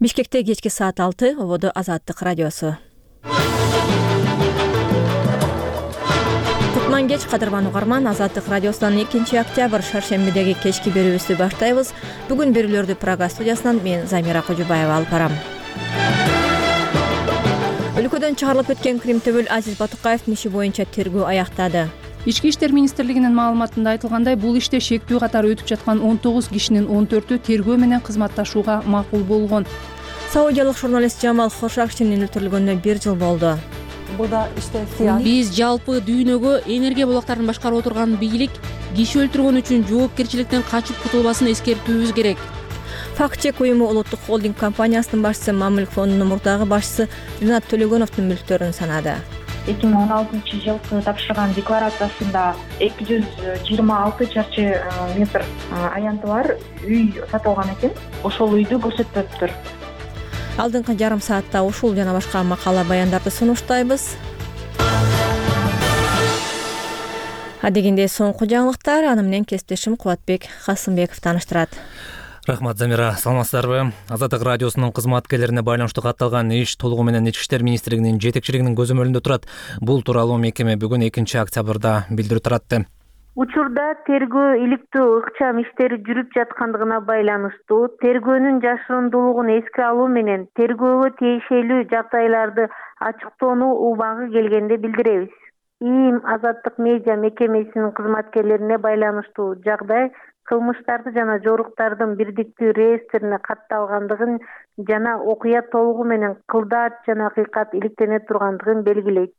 Бишкекте кечки саат 6 ободо Азаттык радиосу. Кутман кеч, кадырман угарман. Азаттык радиосунан 2-октябрь шаршембидеги кечки берүүбүздү баштайбыз. Бүгүн берүүлөрдү Прага студиясынан мен Замира Кожубаева алып барам. Өлкөдөн чыгарылып кеткен Кримтөбөл Азиз Батукаевдин иши боюнча тергөө аяктады. Ички иштер министрлигинин маалыматында айтылгандай, бул иште шектүү катары өтүп жаткан 19 кишинин 14-ü тергөө менен кызматташууга макул болгон. Саудиялык журналист Жамал Хошакчинин өлтүрүлгөнүнө 1 жыл болду. Биз жалпы дүйнөгө энергия булактарын башкарып отурган бийлик киши өлтүргөн үчүн жоопкерчиликтен качып кутулбасын эскертүүбүз керек. Факт-чек уюму улуттук холдинг компаниясынын башчысы Мамилк фондунун мурдагы башчысы Ринат Төлөгөновдун мүлктөрүн санады. 2016-жылкы тапшырган декларациясында 226 чарчы метр аянты бар үй сатылган экен. Ошол үйдү көрсөтпөптүр. Алдыңкы жарым саатта ушул жана башка макала баяндарды сунуштайбыз. Адегенде соңку жаңылыктар, аны менен кесиптешим Кубатбек Касымбеков тааныштырат. Рахмат, Замира. Саламатсыздарбы? Азаттык радиосунун кызматкерлерине байланыштуу катталган иш толугу менен Ички иштер министрлигинин жетекчилигинин көзөмөлүндө турат. Бул тууралуу мекеме бүгүн 2-октябрда билдирүү таратты. Учурда тергөө иликтөө ыкчам иштери жүрүп жаткандыгына байланыштуу тергөөнүн жашырундуулугун эске алуу менен тергөөгө тиешелүү жагдайларды ачыктоонуу убагы келгенде билдиребиз. ИИМ Азаттык медиа мекемесинин кызматкерлерине байланыштуу жагдай кылмыштарды жана жоруктардын бирдиктүү реестрине катталгандыгын жана окуя толугу менен кылдаат жана акыйкат иликтене тургандыгын белгилейт,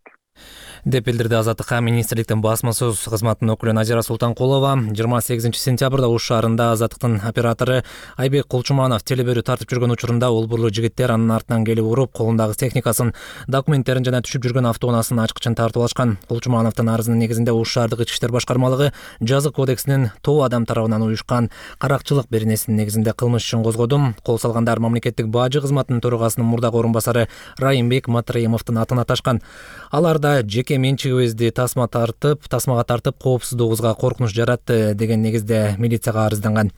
деп билдирди Азаттыкка министрликтин басма сөз кызматынын өкүлү Назира Султанкулова. 28-сентябрда Уш шаарында Азаттыктын оператору Айбек Кулчуманов телеберүү тартып жүргөн учурунда олбурлуу жигиттер анын артынан келип уруп, колундагы техникасын, документтерин жана түшүп жүргөн автоунаасынын ачкычын тартып алышкан. Кулчумановдун арызынын негизинде Уш шаардык Ички иштер башкармалыгы жазык кодексинин тоо адам тарабынан уюшкан каракчылык беренесинин негизинде кылмыш ишин козгодум. Кол салгандар мамлекеттик бажы кызматынын төрагасынын мурдагы орун басары Райымбек Матраимовдун атын аташкан. Аларда жеке менчигибизди тасмага тартып коопсуздугубузга коркунуч жаратты деген негизде милицияга арызданган.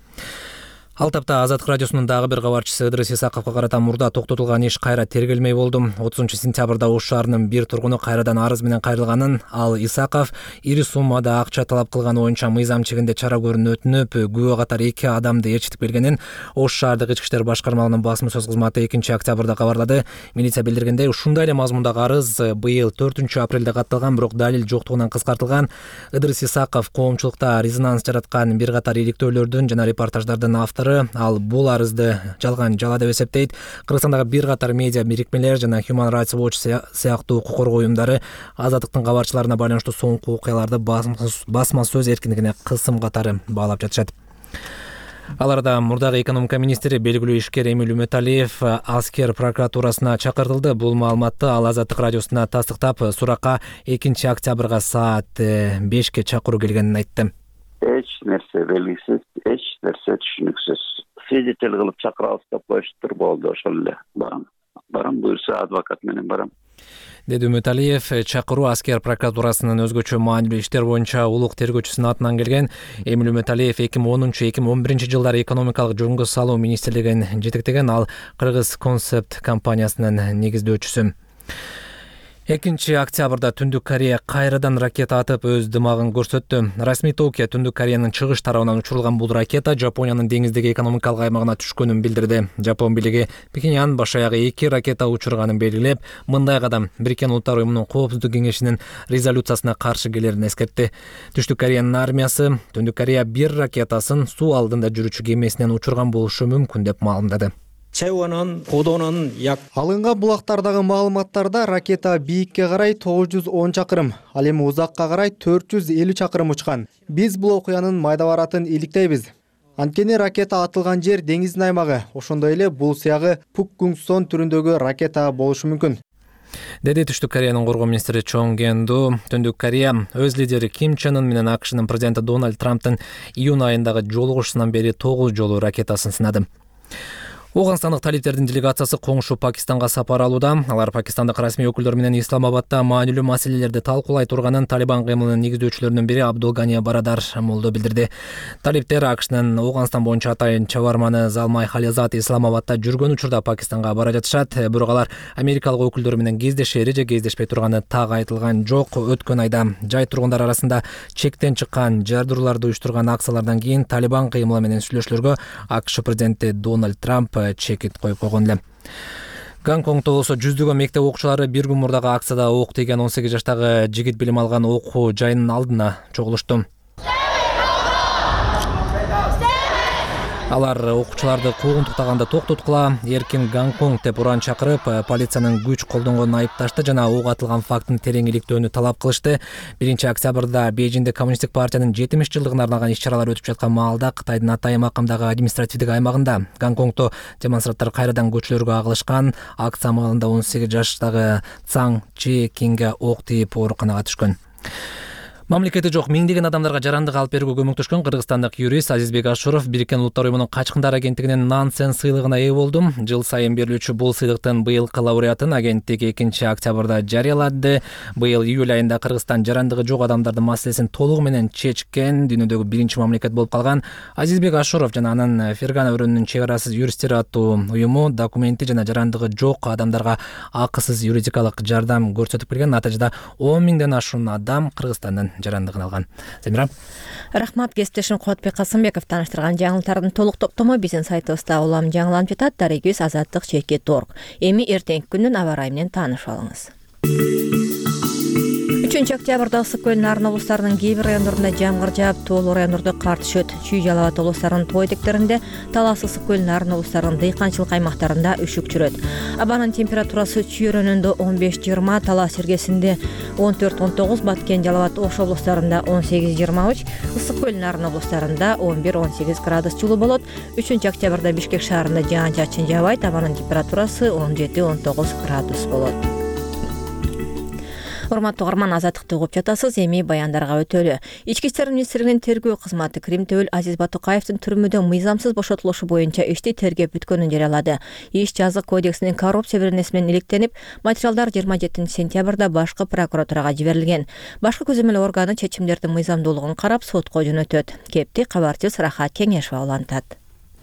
Ал тапта Азаттык радиосунун дагы бир кабарчысы Ыдырыс Исаковго карата мурда токтотулган иш кайра тергелмей болду. 30-сентябрда Уш шаарынын бир тургуну кайрадан арыз менен кайрылганын, ал Исаков ири суммада акча талап кылганы боюнча мыйзам чегинде чара көрүүнү өтүнүп, күбө катары 2 адамды ээрчитип келгенин Уш шаардык Ички иштер башкармалыгынын басма сөз кызматы 2-октябрда кабарлады. Милиция билдиргендей, ушундай эле мазмундагы арыз быйыл 4-апрелде катталган, бирок далил жоктугунан кыскартылган. Ыдырыс Исаков коомчулукта резонанс жараткан бир катар иликтөөлөрдүн жана репортаждардын автору. Ал бул арызды жалган жала деп эсептейт. Кыргызстандагы бир катар медиа бирикмелер жана Human Rights Watch сыяктуу укук коргоо уюмдары Азаттыктын кабарчыларына байланыштуу соңку окуяларды басма сөз эркиндигине кысым катары баалап жатышат. Аларда мурдагы экономика министри белгилүү ишкер Эмиль Үмөталиев Аскер прокуратурасына чакыртылды. Бул маалыматты ал Азаттык радиосуна тастыктап, суракка 2-октябрга саат 5-ке чакыруу келгенин айтты. Эч нерсе белгисиз, эч нерсе түшүнүксүз. Свидетель кылып чакырабыз деп коюштур, болду, ошол эле барам буюрса адвокат менен барам, деди Үмөталиев. Чакыруу Аскер прокуратурасынын өзгөчө маанилүү иштер боюнча улук тергөөчүсүнүн атынан келген. Эмиль Үмөталиев 2010-2011 жылдары экономикалык жөнгө салуу министрлигин жетектеген, ал Кыргыз Концепт компаниясынын негиздөөчүсү. 2-октябрда Түндүк Корея кайрадан ракета атып өз дымагын көрсөттү. Расмий Токио Түндүк Кореянын чыгыш тарабынан учурулган бул ракета Жапониянын деңиздеги экономикалык аймагына түшкөнүн билдирди. Жапон бийлиги Пекиньян баш аягы 2 ракета учурганын белгилеп, мындай кадам Бириккен Улуттар уюмунун Коопсуздук кеңешинин резолюциясына каршы келерин эскертти. Түштүк Кореянын армиясы Түндүк Корея бир ракетасын суу алдында жүрүүчү кемесинен учурган болушу мүмкүн деп маалымдады. Алынган булактардагы маалыматтарда ракета бийикке карай 910 чакырым, ал эми узакка карай 450 чакырым учкан. Биз бул окуянын майда баратын иликтейбиз. Анткени ракета атылган жер деңиздин аймагы, ошондой эле бул сыягы Пукгунгсон түрүндөгү ракета болушу мүмкүн, деди Түштүк Кореянын коргоо министри Чон Генду. Түндүк Корея өз лидери Ким Чен Ын менен АКШнын президенти Дональд Трамптын июнь айындагы жолугушусунан бери 9 жолу ракетасын сынады. Ооганстандык талиптердин делегациясы коңшу Пакистанга сапар алууда. Алар пакистандык расмий өкүлдөр менен Исламабадда маанилүү маселелерди талкуулай турганын Талибан кыймылынын негиздөөчүлөрүнүн бири Абдулгания Барадар Молдо билдирди. Талиптер АКШнын Ооганстан боюнча атайын чабарманы Залмай Хализат Исламабадда жүргөн учурда Пакистанга бара жатышат. Бирок алар америкалык өкүлдөр менен кездешери же кездешпей турганы так айтылган жок. Өткөн айда жай тургундар арасында чектен чыккан жардырууларды уюштурган акциялардан кийин Талибан кыймылы менен сүйлөшүүлөргө АКШ президенти Дональд Трамп чекит коюп койгон эле. Гонконгдо болсо жүздөгөн мектеп окуучулары бир күн мурдагы акцияда ок тийген 18 жаштагы жигит билим алган окуу жайынын алдына чогулушту. Алар окуучуларды куугунтуктаганда токтоткула, эркин Гонконг деп уран чакырып, полициянын күч колдонгонун айыпташты жана ок атылган фактын терең иликтөөнү талап кылышты. 1-октябрда Бейжиңде коммунисттик партиянын 70 жылдыгына арналган иш-чаралар өтүп жаткан маалда Кытайдын Атайын макамдагы административдик аймагында Гонконгдо демонстранттар кайрадан көчөлөргө агылышкан. Акция маалында 18 жаштагы Цаң Чи Кинге ок тийип ооруканага түшкөн. Мамлекети жок миңдеген адамдарга жарандык алып берүүгө көмөктөшкөн кыргызстандык юрист Азизбек Ашуров Бириккен Улуттар уюмунун качкындар агенттигинин Нансен сыйлыгына ээ болду. Жыл сайын берилүүчү бул сыйлыктын быйылкы лауреатын агенттик 2-октябрда жарыялады. Быйыл июль айында Кыргызстан жарандыгы жок адамдардын маселесин толугу менен чечкен дүйнөдөгү биринчи мамлекет болуп калган. Азизбек Ашуров жана анын Фергана өрөөнүнүн чек арасыз юристтери аттуу уюму документи жана жарандыгы жок адамдарга акысыз юридикалык жардам көрсөтүп келген. Натыйжада 10 миңден ашуун адам Кыргызстандын жарандыгын алган. Замира. Рахмат, кесиптешим Кубатбек Касымбеков таныштырган жаңылыктардын толук топтому биздин сайтыбызда улам жаңыланып жатат. Дарегибиз Азаттык /org. Эми эртеңки күндүн аба ырайы менен таанышып алыңыз. 3-октябрда Ысык көл Нарын облустарынын кээ бир райондорунда жамгыр жаап, тоолуу райондордо кар түшөт. Чүй Жалал Абад облустарынын тоо этектеринде, Талас Ысык көл Нарын облустарынын дыйканчылык аймактарында үшүк жүрөт. Абанын температурасы Чүй өрөөнүндө 15-20, Талас иргесинде 14-19, Баткен Жалал Абад Ош облустарында 18-23, Ысык көл Нарын облустарында 11-18 градус жылуу болот. 3-октябрда Бишкек шаарында жаан-чачын жаабайт, абанын температурасы 17-19 градус болот. Урматтуу угарман, Азаттыкты угуп жатасыз. Эми баяндарга өтөлү. Ички иштер министрлигинин тергөө кызматы Крим Төбөл Азиз Батукаевдин түрмөдө мыйзамсыз бошотулушу боюнча ишти тергеп бүткөнүн жарыялады. Иш жазык кодексинин коррупция беренеси менен иликтенип, материалдар 27-сентябрда башкы прокуратурага жиберилген. Башкы көзөмөл органы чечимдердин мыйзамдуулугун карап, сотко жөнөтөт. Кепти кабарчыбыз Рахат Кеңешова улантат.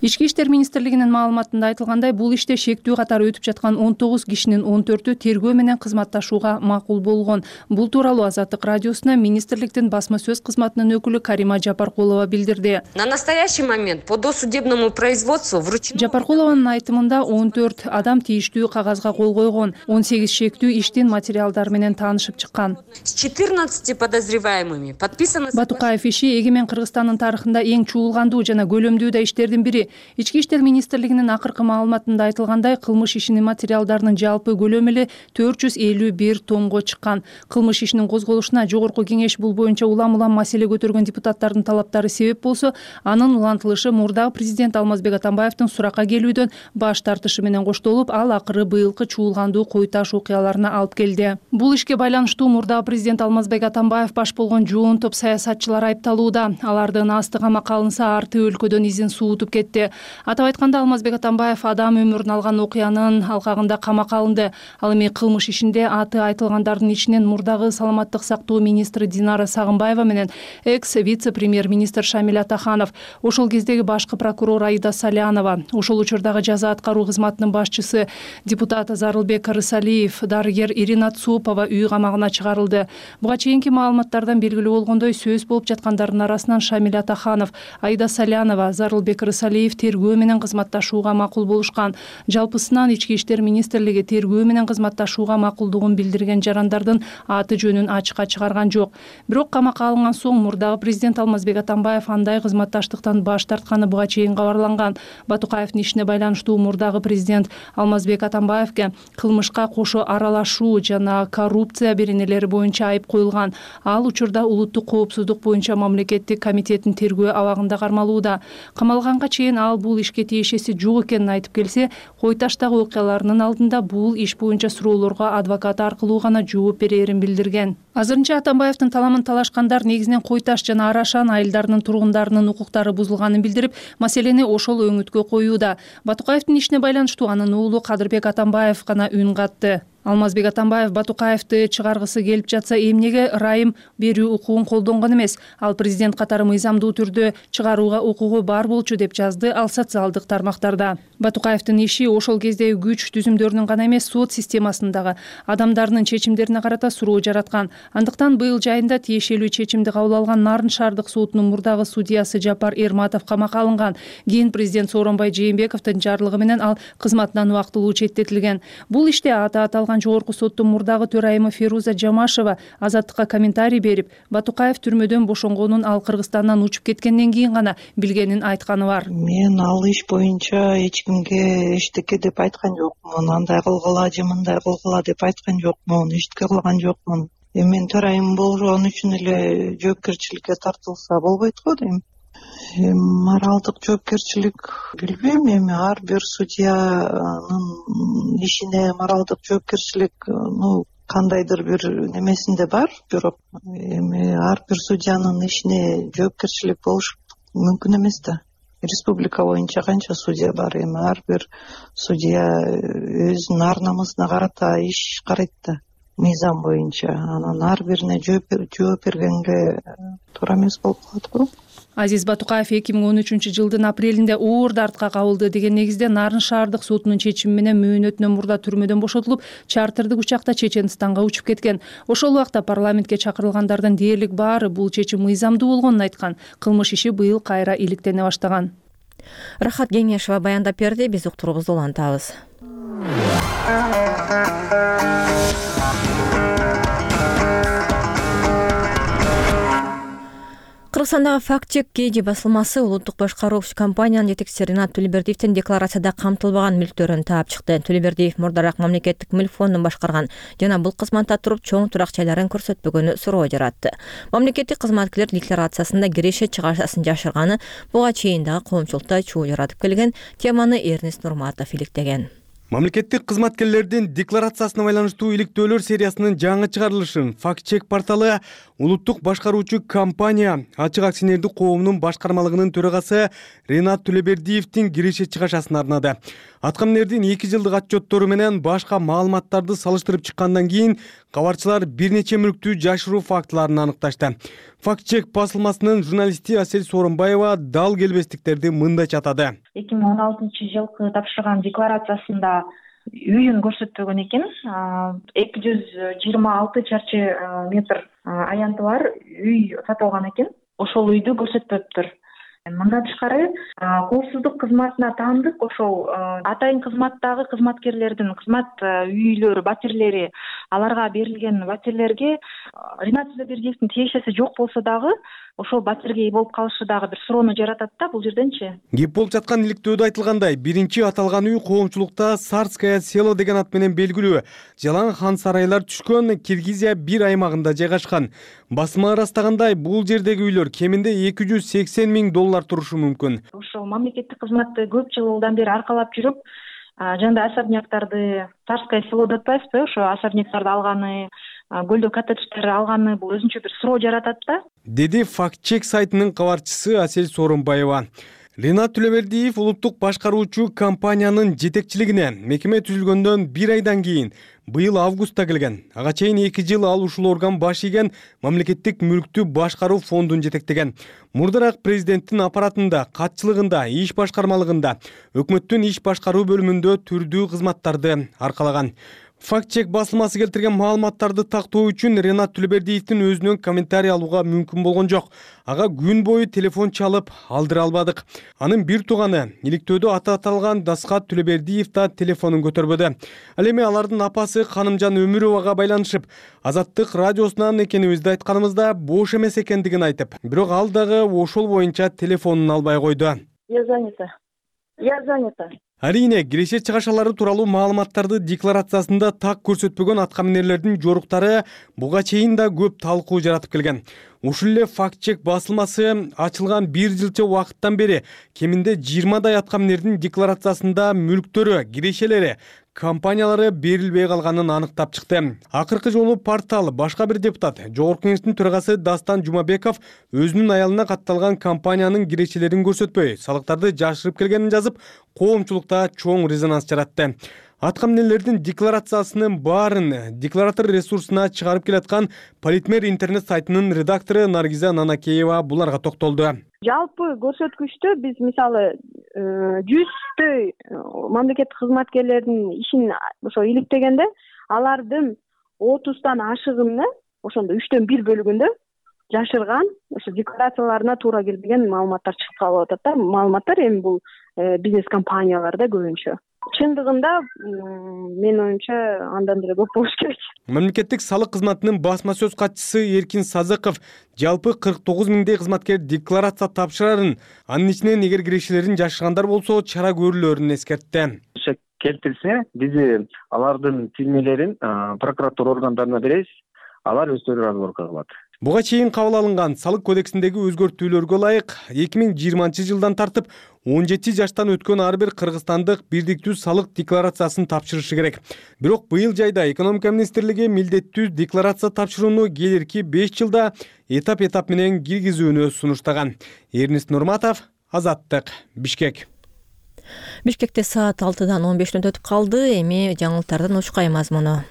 Ички иштер министрлигинин маалыматында айтылгандай, бул иште шектүү катары өтүп жаткан 19 кишинин 14-ү тергөө менен кызматташууга макул болгон. Бул тууралуу Азаттык радиосуна министрликтин басма сөз кызматынын өкүлү Карима Жапаркулова билдирди. На настоящий момент по досудебному производству вручено. Жапаркулованын айтымында 14 адам тийиштүү кагазга кол койгон, 18 шектүү иштин материалдары менен таанышып чыккан. С 14 подозреваемыми подписано. Батукаев иши Эгемен Кыргызстандын тарыхында эң чуулгандуу жана көлөмдүү да иштердин бири. Ички иштер министрлигинин акыркы маалыматында айтылгандай, кылмыш ишинин материалдарынын жалпы көлөмү 451 томго чыккан. Кылмыш ишинин козголушуна жогорку кеңеш бул боюнча улам-улам маселе көтөргөн депутаттардын талаптары себеп болсо, анын улантылышы мурдагы президент Алмазбек Атамбаевдин суракка келүүдөн баш тартышы менен коштолуп, ал акыры быйылкы чуулгандуу кой таш окуяларына алып келди. Бул ишке байланыштуу мурдагы президент Алмазбек Атамбаев баш болгон жоон топ саясатчылар айыпталууда. Алардын асты камакка алынса, арты өлкөдөн изин суутуп кетти. Атап айтканда, Алмазбек Атамбаев адам өмүрүн алган окуянын алкагында камакка алынды. Ал эми кылмыш ишинде аты айтылгандардын ичинен мурдагы саламаттык сактоо министри Динара Сагынбаева менен экс-вице-премьер-министр Шамиль Атаханов, ошол кездеги башкы прокурор Аида Салянова, ошол учурдагы жаза аткаруу кызматынын башчысы депутат Зарылбек Рысалиев, дарыгер Ирина Цупова үй камагына чыгарылды. Буга чейинки маалыматтардан белгилүү болгондой, сөз болуп жаткандардын арасынан Шамиль Атаханов, Аида Салянова, Зарылбек Рысалиев тергөө менен кызматташууга макул болушкан. Жалпысынан ички иштер министрлиги тергөө менен кызматташууга макулдугун билдирген жарандардын аты жөнүн ачыкка чыгарган жок. Бирок камакка алынган соң мурдагы президент Алмазбек Атамбаев андай кызматташтыктан баш тартканы буга чейин кабарланган. Батукаевдин ишине байланыштуу мурдагы президент Алмазбек Атамбаевге кылмышка кошо аралашуу жана коррупция беренелери боюнча айып коюлган. Ал учурда улуттук коопсуздук боюнча мамлекеттик комитеттин тергөө абагында кармалууда. Камалганга чейин менен ал бул ишке тиешеси жок экенин айтып келсе, Кой Таштагы окуяларынын алдында бул иш боюнча суроолорго адвокат аркылуу гана жооп берерин билдирген. Азырынча Атамбаевдин таламын талашкандар негизинен Кой Таш жана Арашан айылдарынын тургундарынын укуктары бузулганын билдирип, маселени ошол өңүткө коюуда. Батукаевдин ишине байланыштуу анын уулу Кадырбек Атамбаев гана үн катты. Алмазбек Атамбаев Батукаевди чыгаргысы келип жатса, эмнеге ырайым берүү укугун колдонгон эмес? Ал президент катары мыйзамдуу түрдө чыгарууга укугу бар болчу деп жазды ал социалдык тармактарда. Батукаевдин иши ошол кездеги күч түзүмдөрүнүн гана эмес, сот системасындагы адамдардын чечимдерине карата суроо жараткан. Андыктан быйыл жайында тиешелүү чечимди кабыл алган Нарын шаардык сотунун мурдагы судьясы Жапар Эрматов камакка алынган. Кийин президент Сооронбай Жээнбековдун жарлыгы менен ал кызматынан убактылуу четтетилген. Бул иште аты аталган Жогорку соттун мурдагы төрайымы Феруза Жамашева азаттыкка комментарий берип, Батукаев түрмөдөн бошонгонун ал Кыргызстандан учуп кеткенден кийин гана билгенин айтканы бар. Мен ал иш боюнча эч кимге эчтеке деп айткан жокмун, андай кылгыла же мындай кылгыла деп айткан жокмун, эчтеке кылган жокмун. Мен төрайым болгон үчүн эле жоопкерчиликке тартылса болбойт го дейм. Моралдык жоопкерчилик билбейм, эми ар бир судьянын ишине моралдык жоопкерчилик кандайдыр бир немесинде бар, бирок эми ар бир судьянын ишине жоопкерчилик болуш мүмкүн эмес да. Республика боюнча канча судья бар, эми ар бир судья өзүнүн ар намысына карата иш карайт да, мыйзам боюнча. Анан ар бирине жооп бергенге туура эмес болуп калат го. Азиз Батукаев 2013 жылдын апрелинде оор дартка кабылды деген негизде Нарын шаардык сотунун чечими менен мөөнөтүнөн мурда түрмөдөн бошотулуп, чартердик учакта Чеченстанга учуп кеткен. Ошол убакта парламентке чакырылгандардын дээрлик баары бул чечим мыйзамдуу болгонун айткан. Кылмыш иши быйыл кайра иликтене баштаган. Рахат Кеңешова баяндап берди, биз уктуруубузду улантабыз. Кыргызстандагы факт-чек KG басылмасы улуттук башкаруучу компаниянын жетекчиси Ринат Төлөбердиевдин декларацияда камтылбаган мүлктөрүн таап чыкты. Төлөбердиев мурдараак мамлекеттик мүлк фондун башкарган жана бул кызматта туруп чоң турак-жайларын көрсөтпөгөнү суроо жаратты. Мамлекеттик кызматкерлер декларациясында киреше-чыгашасын жашырганы буга чейин дагы коомчулукта чуу жаратып келген. Теманы Эрнест Нурматов иликтеген. Мамлекеттик кызматкерлердин декларациясына байланыштуу иликтөөлөр сериясынын жаңы чыгарылышын факт-чек порталы улуттук башкаруучу компания ачык акционердик коомунун башкармалыгынын төрагасы Ринат Төлөбердиевдин киреше-чыгашасына арнады. Аткаминердин 2 жылдык отчеттору менен башка маалыматтарды салыштырып чыккандан кийин кабарчылар бир нече мүлктү жашыруу фактыларын аныкташты. Факт-чек басылмасынын журналисти Асель Сооронбаева дал келбестиктерди мындайча атады. 2016 жылкы тапшырган декларациясында үйүн көрсөтпөгөн экен. 226 чарчы метр аянты бар үй сатылган экен. Ошол үйдү көрсөтпөптүр. Мындан тышкары коопсуздук кызматына таандык ошол атайын кызматтагы кызматкерлердин кызмат үйлөрү, батирлери, аларга берилген батирлерге Ринат Төлөбердиевдин тиешеси жок болсо дагы ошол батирге ээ болуп калышы дагы бир суроону жаратат да бул жерденчи. Кеп болуп жаткан иликтөөдө айтылгандай, биринчи аталган үй коомчулукта Сарское село деген ат менен белгилүү жалаң хан сарайлар түшкөн Киргизия бир аймагында жайгашкан. Басма ырастагандай, бул жердеги үйлөр кеминде $280 миң турушу мүмкүн. Ошол мамлекеттик кызматты көп жылдан бери аркалап жүрүп, жана особняктарды Царское село деп атпайсызбы, ошо особняктарды алганы, көлдө коттедждерди алганы бул өзүнчө бир суроо жаратат да. Деди факт-чек сайтынын кабарчысы Асель Сооронбаева. Ринат Төлөбердиев улуттук башкаруучу компаниянын жетекчилигине мекеме түзүлгөндөн 1 айдан кийин быйыл августта келген. Ага чейин 2 жыл ал ушул орган баш ийген мамлекеттик мүлктү башкаруу фондун жетектеген. Мурдараак президенттин аппаратында, катчылыгында, иш башкармалыгында, өкмөттүн иш башкаруу бөлүмүндө түрдүү кызматтарды аркалаган. Факт-чек басылмасы келтирген маалыматтарды тактоо үчүн Ринат Төлөбердиевдин өзүнөн комментарий алууга мүмкүн болгон жок. Ага күн бою телефон чалып алдыра албадык. Анын бир тууганы иликтөөдө аты аталган Дасхат Төлөбердиев да телефонун көтөрбөдү. Ал эми алардын апасы Канымжан Өмүровага байланышып, Азаттык радиосунан экенибизди айтканымызда бош эмес экендигин айтып, бирок ал дагы ошол боюнча телефонун албай койду. Я занята. Арине, киреше-чыгашалары тууралуу маалыматтарды декларациясында так көрсөтпөгөн аткаминерлердин жоруктары буга чейин да көп талкуу жаратып келген. Ушул эле факт чек басылмасы ачылган 1 жылча убакыттан бери кеминде 20дай аткаминердин декларациясында мүлктөрү, кирешелери, компаниялары берилбей калганын аныктап чыкты. Акыркы жолу портал башка бир депутат, Жогорку кеңештин төрагасы Дастан Жумабеков өзүнүн аялына катталган компаниянын кирешелерин көрсөтпөй, салыктарды жашырып келгенин жазып, коомчулукта чоң резонанс жаратты. Аткаминерлердин декларациясынын баарын декларатор ресурсуна чыгарып келаткан Политмер интернет сайтынын редактору Наргиза Нанакеева буларга токтолду. Жалпы көрсөткүчтө биз мисалы 100той мамлекеттик кызматкерлердин ишин ошо иликтегенде алардын 30тан ашыгыны ошондо 3төн 1 бөлүгүндө жашырган, ошо декларацияларына туура келбеген маалыматтар чыгып калып атат да. Маалыматтар эми бул бизнес компанияларда көбүнчө. Чындыгында менин оюмча андан деле көп болуш керек. Мамлекеттик салык кызматынын басма сөз катчысы Эркин Сазыков жалпы 49 миңдей кызматкер декларация тапшырарын, анын ичинен эгер кирешелерин жашыргандар болсо чара көрүлөрүн эскертти. Келтирсе, биз алардын тилмелерин прокуратура органдарына беребиз, алар өздөрү разборко кылат. Буга чейин кабыл алынган салык кодексиндеги өзгөртүүлөргө ылайык 2020-жылдан тартып 17 жаштан өткөн ар бир кыргызстандык бирдиктүү салык декларациясын тапшырышы керек. Бирок быйыл жайда экономика министрлиги милдеттүү декларация тапшырууну келирки 5 жылда этап менен киргизүүнү сунуштаган. Эрнест Нурматов, Азаттык, Бишкек. Бишкекте саат 6-дан 15 мүнөт өтүп калды. Эми жаңылыктардын учкай мазмуну.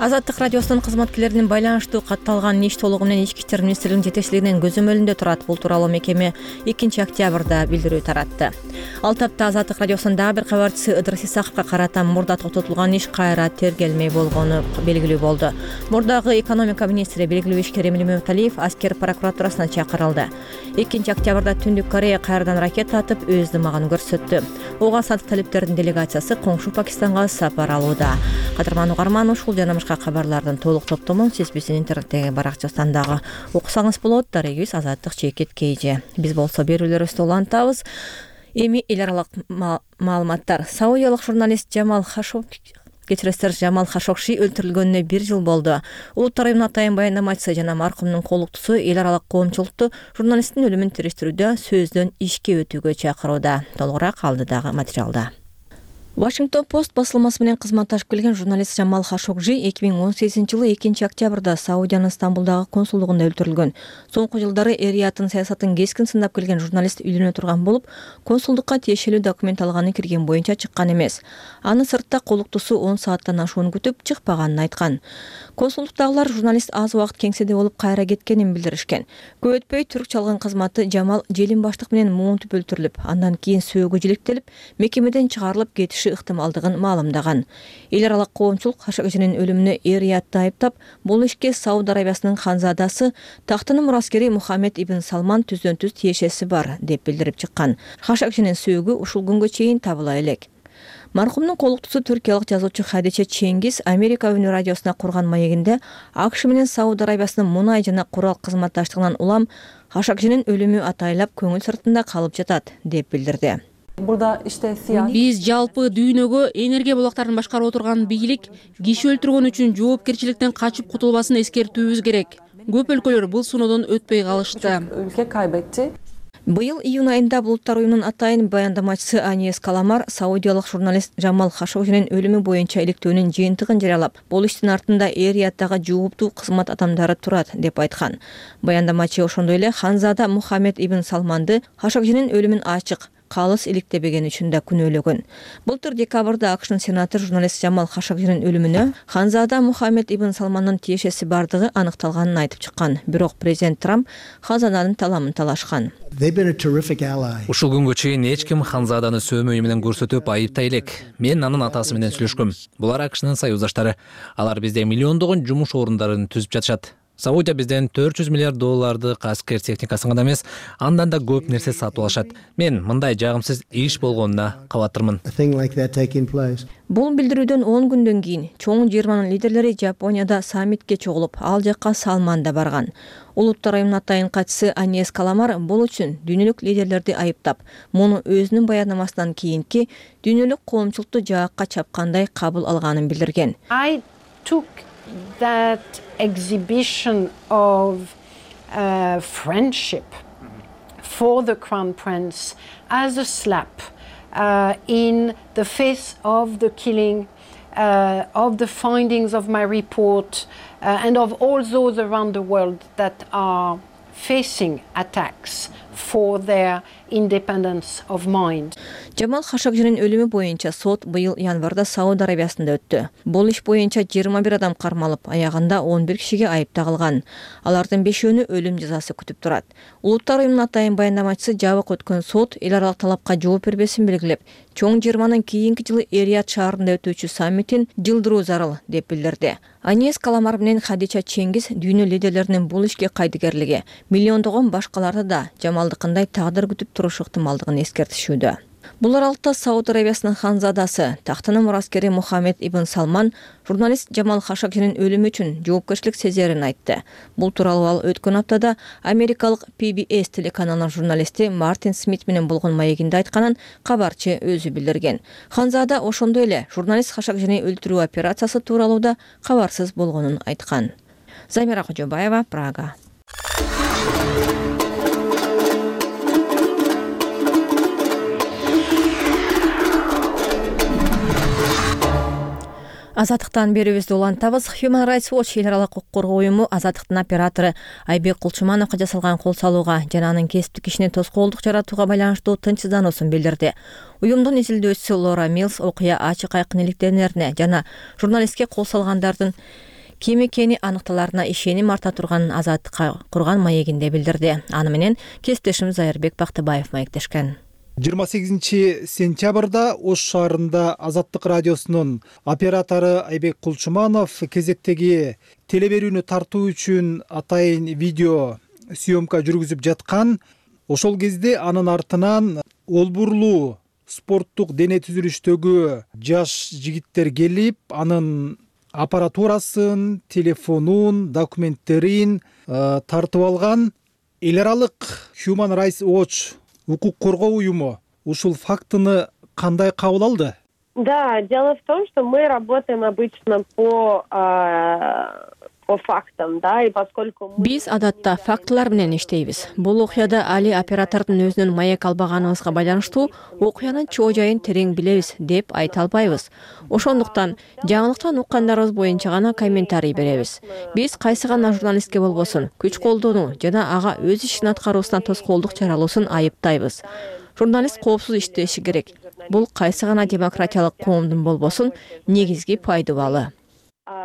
Азаттык радиосунун кызматкерлеринин байланыштуу катталган иш толугу менен Ички иштер министрлигинин жетекчилигинин көзөмөлүндө турат. Бул тууралуу мекеме 2-октябрда билдирүү таратты. Ал тапта Азаттык радиосунун дагы бир кабарчысы Ыдырыс Исаковго карата мурда токтотулган иш кайра тергелмей болгону белгилүү болду. Мурдагы экономика министри белгилүү ишкер Эмиль Мөталиев аскер прокуратурасына чакырылды. 2-октябрда Түндүк Корея кайрадан ракета атып өз дымагын көрсөттү. Ого сандык талептердин делегациясы коңшу Пакистанга сапар алууда. Кадырман Угарман ушул жана кабарлардын толук топтомун сиз биздин интернеттеги баракчасынан дагы окусаңыз болот. Дарегибиз Азаттык ЧК. Биз болсо берүүлөрүбүздү улантабыз. Эми эл аралык маалыматтар. Саудиялык журналист Жамал Хашогши өлтүрүлгөнүнө 1 жыл болду. Улуттар уюмунун атайын баяндамачысы жана маркумдун колуктусу эл аралык коомчулукту журналисттин өлүмүн териштирүүдө сөздөн ишке өтүүгө чакырууда. Толугураак алдыдагы материалда. Washington Post басылмасы менен кызматташып келген журналист Жамал Хашогши 2018-жылы 2-октябрда Саудиянын Стамбулдагы консулдугунда өлтүрүлгөн. Соңку жылдары эр-Риядтын саясатын кескин сындап келген журналист үйлөнө турган болуп, консулдукка тиешелүү документ алганы кирген боюнча чыккан эмес. Аны сыртта колуктусу 10 сааттан ашууну күтүп чыкпаганын айткан. Консулдуктагылар журналист аз убакыт кеңседе болуп кайра кеткенин билдиришкен. Көп өтпөй түрк чалган кызматы Жамал желин баштык менен муунтуп өлтүрүлүп, андан кийин сөөгү жиликтелип, мекемеден чыгарылып кетиши ыктымалдыгын маалымдаган. Эл аралык коомчулук Хашогшинин өлүмүнө эр-Риядты айыптап, бул ишке Сауд Арабиясынын ханзадасы, тактынын мураскери Мухаммед ибн Салман түздөн-түз тиешеси бар деп билдирип чыккан. Хашогшинин сөөгү ушул күнгө чейин табыла элек. Маркумдун колуктусу түркиялык жазуучу Хадиче Чеңгиз Америка Өнү радиосуна курган маегинде АКШ менен Сауд Арабиясынын мунай жана курал кызматташтыгынан улам Хашогшинин өлүмү атайлап көңүл сыртында калып жатат деп билдирди. Биз жалпы дүйнөгө энергия булактарын башкарып отурган бийлик киши өлтүргөн үчүн жоопкерчиликтен качып кутулбасын эскертүүбүз керек. Көп өлкөлөр бул сыноодон өтпөй калышты. Быйыл июнь айында Булуттар уюмунун атайын баяндамачысы Аньес Каламар саудиялык журналист Жамал Хашогшинин өлүмү боюнча иликтөөнүн жыйынтыгын жарыялап, бул иштин артында эр-Рияттагы жооптуу кызмат адамдары турат деп айткан. Баяндамачы ошондой эле ханзада Мухаммед ибн Салманды Хашогшинин өлүмүн ачык калыс иликтебеген үчүн да күнөөлөгөн. Былтыр декабрда АКШнын сенатор журналист Жамал Хашогшинин өлүмүнө ханзада Мухаммед ибн Салмандын тиешеси бардыгы аныкталганын айтып чыккан. Бирок президент Трамп ханзаданын таламын талашкан. Ушул күнгө чейин эч ким ханзаданы сөөмөй менен көрсөтүп айыптай элек. Мен анын атасы менен сүйлөшкөм. Булар АКШнын союздаштары. Алар бизде миллиондогон жумуш орундарын түзүп жатышат. Саудия бизден $400 миллиард аскер техникасын гана эмес, андан да көп нерсе сатып алышат. Мен мындай жагымсыз иш болгонуна кабаттырмын. Бул билдирүүдөн 10 күндөн кийин чоң жыйырманын лидерлери Жапонияда саммитке чогулуп, ал жакка Салман да барган. Улуттар уюмунун атайын катчысы Аньес Каламар бул үчүн дүйнөлүк лидерлерди айыптап, муну өзүнүн баяннамасынан кийинки дүйнөлүк коомчулукту жаакка чапкандай кабыл алганын билдирген. I took that exhibition of friendship for the Crown Prince as a slap in the face of the killing, of the findings of my report, and of all those around the world that are facing attacks for their independence of mind. Жамал Хашогжинин өлүмү боюнча сот быйыл январда Сауд Арабиясында өттү. Бул иш боюнча 21 адам кармалып, аягында 11 кишиге айып тагылган. Алардын 5-өөнү өлүм жазасы күтүп турат. Улуттар уюмунун атайын баяндамачысы жабык өткөн сот эл аралык талапка жооп бербесин белгилеп, чоң жыйырманын кийинки жылы Эр-Рияд шаарында өтүүчү саммитин жылдыруу зарыл деп билдирди. Аньес Каламар менен Хадича Чеңгиз дүйнө лидерлеринин бул ишке кайдыгерлиги, миллиондогон башкаларды да Жамалдыкындай тагдыр күтүп турушу ыктымалдыгын эскертишүүдө. Бул аралыкта Сауд Арабиясынын ханзадасы, тактынын мураскери Мухаммед ибн Салман журналист Жамал Хашогжинин өлүмү үчүн жоопкерчилик сезерин айтты. Бул тууралуу ал өткөн аптада америкалык PBS телеканалынын журналисти Мартин Смит менен болгон маегинде айтканын кабарчы өзү билдирген. Ханзада ошондой эле журналист Хашогжини өлтүрүү операциясы тууралуу да кабарсыз болгонун айткан. Замира Кожобаева, Прага. Азаттыктан берүүбүздү улантабыз. Human Rights Watch эл аралык укук коргоо уюму Азаттыктын оператору Айбек Кулчумановго жасалган кол салууга жана анын кесиптик ишине тоскоолдук жаратууга байланыштуу тынчсыздануусун билдирди. Уюмдун изилдөөчүсү Лора Милс окуя ачык айкын иликтенерине жана журналистке кол салгандардын ким экени аныкталарына ишеним арта турганын Азаттыкка курган маегинде билдирди. Аны менен кесиптешим Зайырбек Бактыбаев маектешкен. 28 сентябрда Ош шаарында Азаттык радиосунун оператору Айбек Кулчуманов кезектеги телеберүүнү тартуу үчүн атайын видео съемка жүргүзүп жаткан. Ошол кезде анын артынан олбурлуу спорттук дене түзүлүштөгү жаш жигиттер келип, анын аппаратурасын, телефонун, документтерин тартып алган. Эл аралык Human Rights Watch укук коргоо уюму ушул фактыны кандай кабыл алды? Да, дело в том, что мы работаем обычно по фактам, да, и поскольку биз адатта фактылар менен иштейбиз. Бул окуяда али оператордун өзүнүн маек албаганыбызга байланыштуу окуянын чоо жайын терең билебиз деп айта албайбыз. Ошондуктан жаңылыктан уккандарыбыз боюнча гана комментарий беребиз. Биз кайсы гана журналистке болбосун күч колдонуу жана ага өз ишин аткаруусуна тоскоолдук жаралуусун айыптайбыз. Журналист коопсуз иштеши керек. Бул кайсы гана демократиялык коомдун болбосун негизги пайдубалы.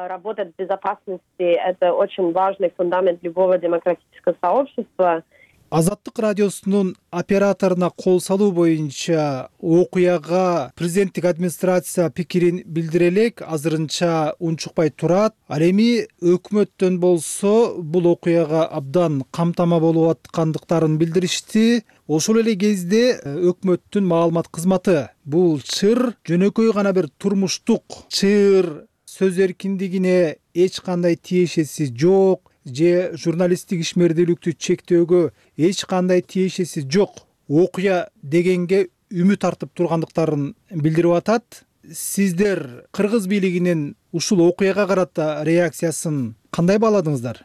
Работать в безопасности – это очень важный фундамент любого демократического сообщества. Азаттык радиосунун операторуна кол салуу боюнча окуяга президенттик администрация пикирин билдире элек, азырынча унчукпай турат. Ал эми өкмөттөн болсо бул окуяга абдан камтама болуп аткандыктарын билдиришти. Ошол эле кезде өкмөттүн маалымат кызматы бул чыр жөнөкөй гана бир турмуштук чыр, сөз эркиндигине эч кандай тиешеси жок же журналисттик ишмердүүлүктү чектөөгө эч кандай тиешеси жок окуя дегенге үмүт артып тургандыктарын билдирип атат. Сиздер кыргыз бийлигинин ушул окуяга карата реакциясын кандай бааладыңыздар?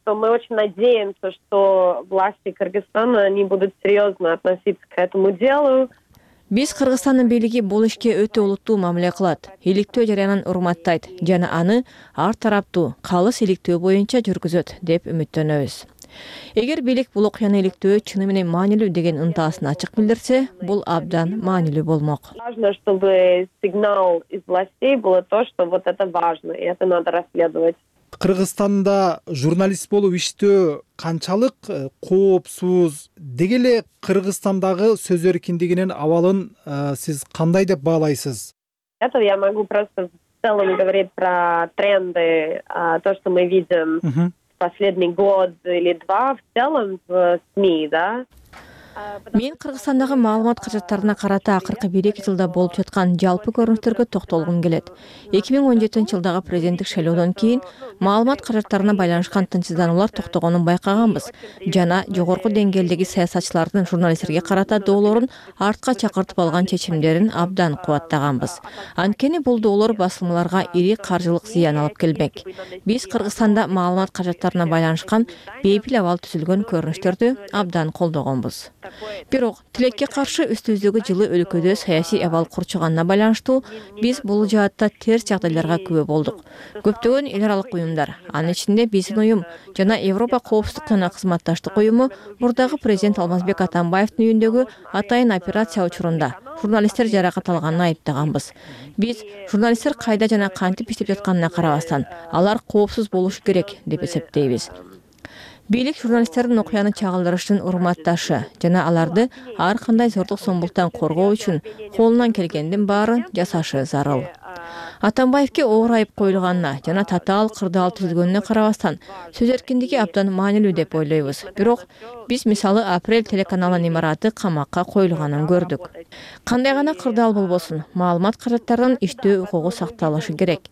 Мы очень надеемся, что власти Кыргызстана они будут серьезно относиться к этому делу. Биз Кыргызстандын бийлиги бул ишке өтө олуттуу мамиле кылат. Иликтөө жарыянын урматтайт жана аны ар тараптуу калыс иликтөө боюнча жүргүзөт деп үмүттөнөбүз. Эгер бийлик бул окуяны иликтөө чыны менен маанилүү деген ынтаасын ачык билдирсе, бул абдан маанилүү болмок. Важно, чтобы сигнал из властей было то, что вот это важно, и это надо расследовать. Кыргызстанда журналист болуп иштөө канчалык коопсуз? Деги эле Кыргызстандагы сөз эркиндигинин абалын сиз кандай деп баалайсыз? Это я могу просто в целом говорить про тренды, то, что мы видим последний год или два в целом в СМИ, да. Мен Кыргызстандагы маалымат каражаттарына карата акыркы 1-2 жылда болуп жаткан жалпы көрүнүштөргө токтолгум келет. 2017-жылдагы президенттик шайлоодон кийин маалымат каражаттарына байланышкан тынчсыздануулар токтогонун байкаганбыз жана жогорку деңгээлдеги саясатчылардын журналисттерге карата доолорун артка чакыртып алган чечимдерин абдан кубаттаганбыз. Анткени бул доолор басылмаларга ири каржылык зыян алып келмек. Биз Кыргызстанда маалымат каражаттарына байланышкан бейпил абал түзүлгөн көрүнүштөрдү абдан колдогонбуз. Бирок тилекке каршы үстүбүздөгү жылы өлкөдө саясий абал курчуганына байланыштуу биз бул жаатта терс жагдайларга күбө болдук. Көптөгөн эл аралык уюмдар, анын ичинде биздин уюм жана Европа коопсуздук жана кызматташтык уюму мурдагы президент Алмазбек Атамбаевдин үйүндөгү атайын операция учурунда журналисттер жаракат алганын айыптаганбыз. Биз журналисттер кайда жана кантип иштеп жатканына карабастан алар коопсуз болушу керек деп эсептейбиз. Бийлик журналисттердин окуяны чагылдырыштын урматташы жана аларды ар кандай зордук зомбулуктан коргоо үчүн колунан келгендин баарын жасашы зарыл. Атамбаевке оор айып коюлганына жана татаал кырдаал түзүлгөнүнө карабастан сөз эркиндиги абдан маанилүү деп ойлойбуз. Бирок биз мисалы Апрель телеканалынын имараты камакка коюлганын көрдүк. Кандай гана кырдаал болбосун, маалымат каражаттарынын иштөө укугу сакталышы керек.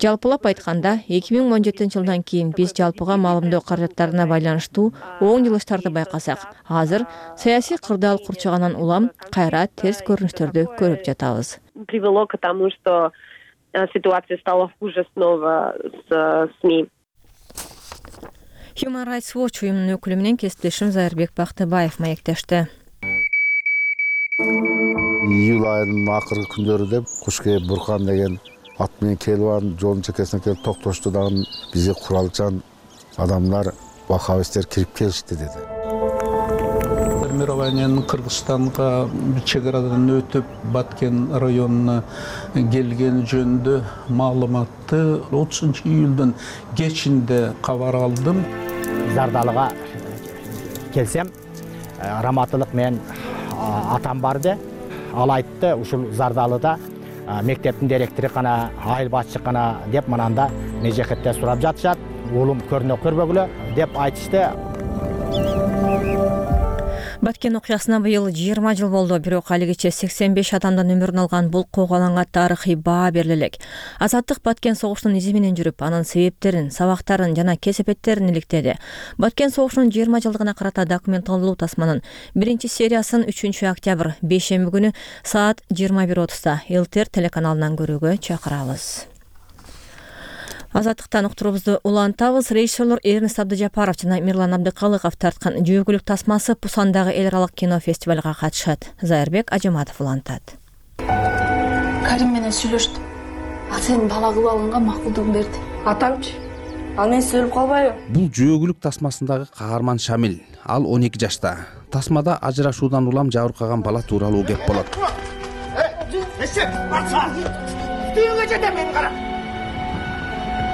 Жалпылап айтканда, 2017-жылдан кийин биз жалпыга маалымдоо каражаттарына байланыштуу оң жылыштарды байкасак, азыр саясий кырдаал курчугандан улам кайра терс көрүнүштөрдү көрүп жатабыз. Привело к тому, что ситуация стала хуже снова с СМИ. Human Rights Watch уюмунун өкүлү менен кесиптешим Зайырбек Бактыбаев маектешти. Июль айынын акыркы күндөрү куш кээп буркан деген ат менен келип анын жолдун чекесине келип токтошту дагы бизге куралчан адамдар, ваххабисттер кирип келишти деди. Формированиянын Кыргызстанга чек арадан өтүп Баткен районуна келгени жөнүндө маалыматты 30-июлдун кечинде кабар алдым. Зардалыга келсем, раматылык менен атам барды. Ал айтты, ушул Зардалыда мектептин директору гана, айыл башчы гана деп мананда межекетте сурап жатышат. Улум көрбөгүлө деп айтышты. Баткен окуясына быйыл 20 жыл болду, бирок алигиче 85 адамдын өмүрүн алган бул коогаланга тарыхый баа бериле элек. Азаттык Баткен согушунун изи менен жүрүп, анын себептерин, сабактарын жана кесепеттерин иликтеди. Баткен согушунун 20 жылдыгына карата документалдуу тасманын 1-сериясын 3-октябрь бейшемби күнү саат 21:30 ЛТР телеканалынан көрүүгө чакырабыз. Азаттыктан уктурубузду улантабыз. Режиссерлор Эрнест Абдыжапаров жана Мирлан Абдыкалыков тарткан жөөгүлүк тасмасы Пусандагы эл аралык кино фестивалга катышат. Зайырбек Ажаматов улантат. Карим менен сүйлөштүм. Ал сенин бала кылып алганга макулдугун берди. Атамчы? Ал менен өлүп калбайбы? Бул жөөгүлүк тасмасындагы каарман Шамил. Ал 12 жашта. Тасмада ажырашуудан улам жабыркаган бала тууралуу кеп болот.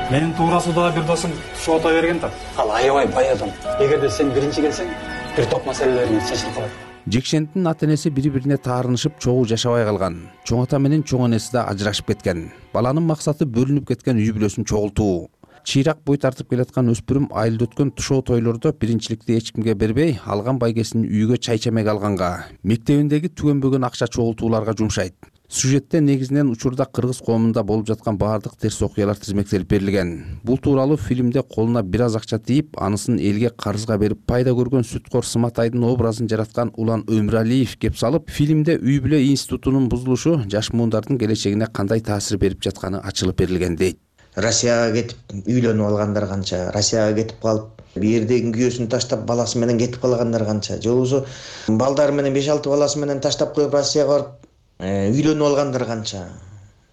Менин туурасында бир досум туш ата берген да. Ал аябай бай адам. Эгерде сен биринчи келсең, бир топ маселелерин чечилип калат. Жекшенттин ата-энеси бири-бирине таарынышып чогуу жашабай калган. Чоң ата менен чоң энеси да ажырашып кеткен. Баланын максаты бөлүнүп кеткен үй бүлөсүн чогултуу. Чыйрак бой тартып келаткан өспүрүм айылда өткөн тушоо тойлордо биринчиликти эч кимге бербей, алган байгесин үйгө чай чемек алганга, мектебиндеги түгөнбөгөн акча чогултууларга жумшайт. Сюжетте негизинен учурда кыргыз коомунда болуп жаткан баардык терс окуялар тизмектелип берилген. Бул тууралуу фильмде колуна бир аз акча тийип, анысын элге карызга берип пайда көргөн сүткор Сыматайдын образын жараткан Улан Өмүралиев кеп салып, фильмде үй бүлө институтунун бузулушу жаш муундардын келечегине кандай таасир берип жатканы ачылып берилген дейт. Россияга кетип үйлөнүп алгандар канча, Россияга кетип калып, бирдеги күйөөсүн таштап баласы менен кетип калгандар канча, же болбосо балдары менен 5-6 баласы менен таштап коюп Россияга барып үйлөнүп алгандар канча.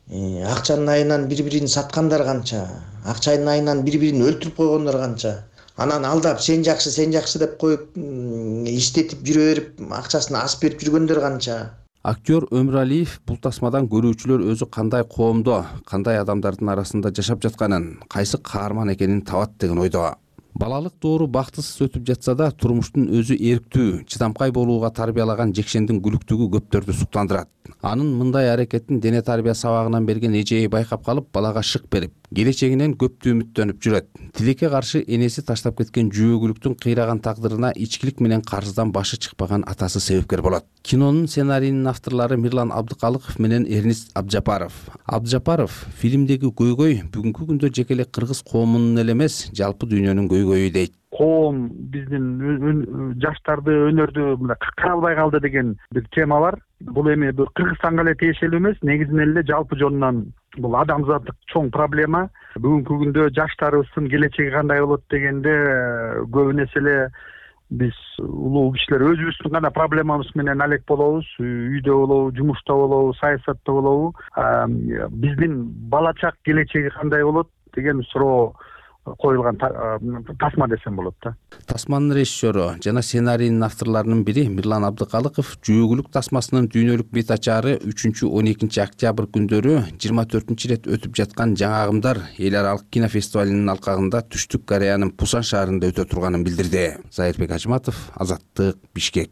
Акчанын айынан бири-бирин саткандар канча. Акчанын айынан бири-бирин өлтүрүп койгондар канча. Анан алдап сен жакшы деп коюп иштетип жүрө берип, акчасын асып берип жүргөндөр канча. Актер Өмүралиев бул тасмадан көрүүчүлөр өзү кандай коомдо, кандай адамдардын арасында жашап жатканын, кайсы каарман экенин табат деген ойдо. Балалык доору бактысыз өтүп жатса да, турмуштун өзү эрктүү, чыдамкай болууга тарбиялаган Жекшендин күлүктүгү көптөрдү суктандырат. Анын мындай аракетин дене тарбия сабагынан берген эжеи байкап калып, балага шык берип, келечегинен көптү үмүттөнүп жүрөт. Тилекке каршы энеси таштап кеткен жөөгүлүктүн кыйраган тагдырына ичкилик менен карыздан башы чыкпаган атасы себепкер болот. Кинонун сценарийинин авторлору Мирлан Абдыкалыков менен Эрнист Абджапаров фильмдеги көйгөй бүгүнкү күндө жеке эле кыргыз коомунун эле эмес, жалпы дүйнөнүн көйгөйү дейт. Коом биздин жаштарды өнөрдү мындай каралбай калды деген бир тема бар. Бул эми Кыргызстанга эле тиешелүү эмес, негизинен эле жалпы жонунан бул адамзаттык чоң проблема. Бүгүнкү күндө жаштарыбыздын келечеги кандай болот дегенде көбүнесе эле биз улуу кишилер өзүбүздүн гана проблемабыз менен алек болобуз. Үйдө болобу, жумушта болобу, саясатта болобу. Биздин балачак келечеги кандай болот деген суроо коюлган тасма десем болот да. Тасманын режиссеру жана сценарийинин авторлорунун бири Мирлан Абдыкалыков жөөгүлүк тасмасынын дүйнөлүк бет ачаары 3-12 октябрь күндөрү 24 рет өтүп жаткан Жаңы агымдар эл аралык кинофестивалынын алкагында Түштүк Кореянын Пусан шаарында өтө турганын билдирди. Зайырбек Ажматов, Азаттык, Бишкек.